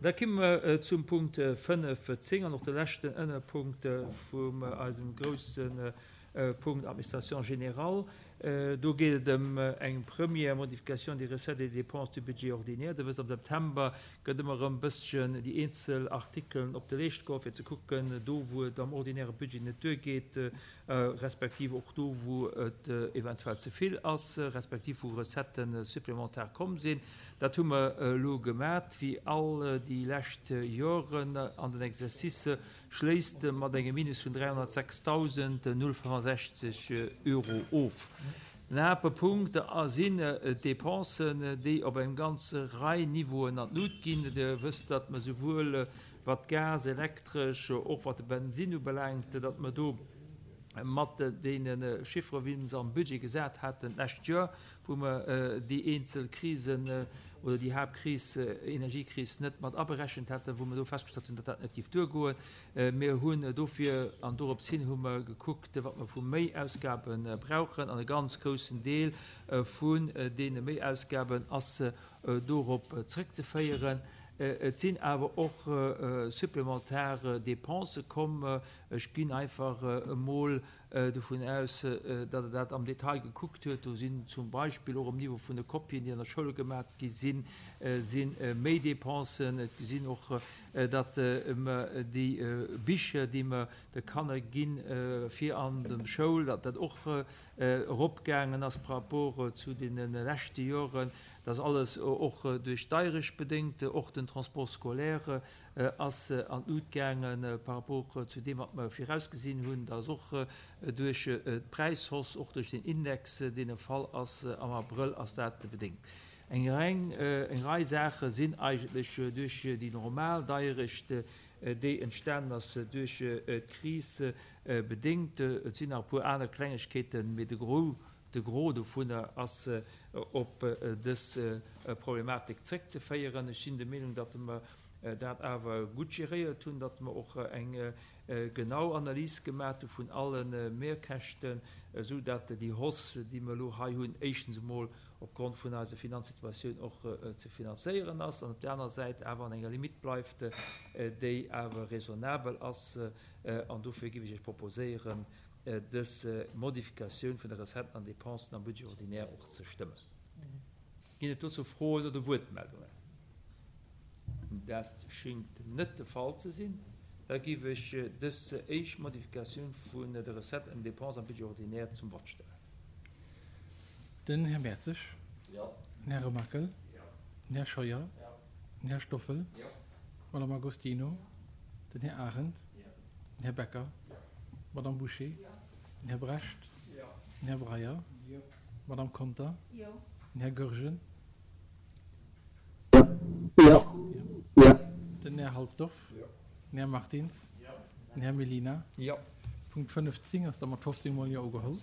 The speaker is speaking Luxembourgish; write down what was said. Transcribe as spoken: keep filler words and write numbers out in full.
Da komme mer zum Punkt fënnef zéng an och de leschten Ënnerpunkt vum eisem grousse Punkt Administration générale. Do geet et ëm eng première modification des recettes et des dépenses du budget ordinaire. Der wësst, am September gëtt ëmmer erëm e bësschen déi eenzel Artikelen op de Leescht geholl, fir ze kucken, do wou et am ordinäre Budget net duergeet, respektiv och do wou et eventuell ze vill ass, respektiv wou Recetten supplémentaires komm sinn. Dat hu mer elo gemat, wéi all déi lescht Joren an den Exercice schléisst mat engem Minus vun dräihonnertsechstausend null fënnefensechzeg Euro of. Den Haaptpunkt sinn d'Depensen, déi op eng ganz Rei Niveauen an d'Lut ginn. Dir wësst, datt mer souwuel wat Gas, Elektresch, och wat de Bensinn ubelaangt, datt mer do mat deene Chiffere wéi mer se am Budget gesat haten d'lescht Joer, wou mer déi eenzel Krisen oder déi Haaptkris, Energiekris, net mat aberechent haten, wou mer do festgestallt hunn, datt dat net géif duergoen. Mir hunn dofir, an dorops hin hu mer gekuckt, wat mer vu Méiausgabe brauchen, an e ganz groussen Deel vun deene Méiausgaben ass dorop zrëckzeféieren. Et sinn awer och supplementar Dépensë komm. Ech ginn einfach emol dovun aus, datt Der dat am Detail gekuckt huet. Do sinn zum Beispill och um Niveau vun de Kopien, déi an der Schoul gemaach gi sinn, si méi Dépensen. Et sinn och, datt mer déi Bicher, déi mer de Kanner ginn, fir an de Schoul, datt dat och eropgaangen ass par rapport zu deene leschte Joren. Dat ass alles och duerch d'Deierecht bedéngt. Och den Transport scolaire ass an d'Lut gaangen par rapport zu deem, wat mer virausgesinn hunn. Dat ass och duerch d'Präishausse, och duerch den Index, deen e Fall ass am Abrëll, ass dat bedéngt. Eng eng Rei Saache sinn eigentlech duerch déi normal Deierecht, déi entstanen ass duerch d'Kris bedéngt. Et sinn nach e puer aner Klengegkeeten, mee de Gros, de Gros dovunner ass op dës Problematik zréckzeféieren. Ech sinn der Meenung, datt mer dat awer gutt geréiert hunn, datt mer och eng genau Analys gemaach hu vun alle Mehrkäschten, esou datt déi Hausse, déi mer elo hei hunn, éischtens emol opgrond vun eiser Finanzsituatioun och ze finanzéieren ass an op der aner Säit awer an enger Limite bleift, déi awer raisonnabel ass. An dofir géif ech Iech proposéieren, dës Modifikatioun vun de Recetten an Dépensen am Budget ordinaire och ze stëmmen. Ginn et dozou Froen oder Wuertmeldungen? Dat schéngt net de Fall ze sinn. Da géif ech dës éischt Modifikatioun vun de Recetten an Dépensen am Budget ordinaire zum Vott stellen. Den Här Mertzig. Jo. Den Här Remakel. Jo. Den Här Scheuer. Jo. Den Här Stoffel. Jo. D'Madame Agostino. Den Här Arendt. Jo. Den Här Becker. Jo. D'Madame Bouché. Jo. Den Här Brecht. Jo. Den Här Breyer. Jo. D'Madame Conter. Jo. Den Här Goergen. Jo. Jo. Den Här Halsdorf. Jo. Den Här Martins. Jo. Den Här Mellina. Jo. Punkt fënnefzéng ass da mat fofzéng Mol Jo ugeholl.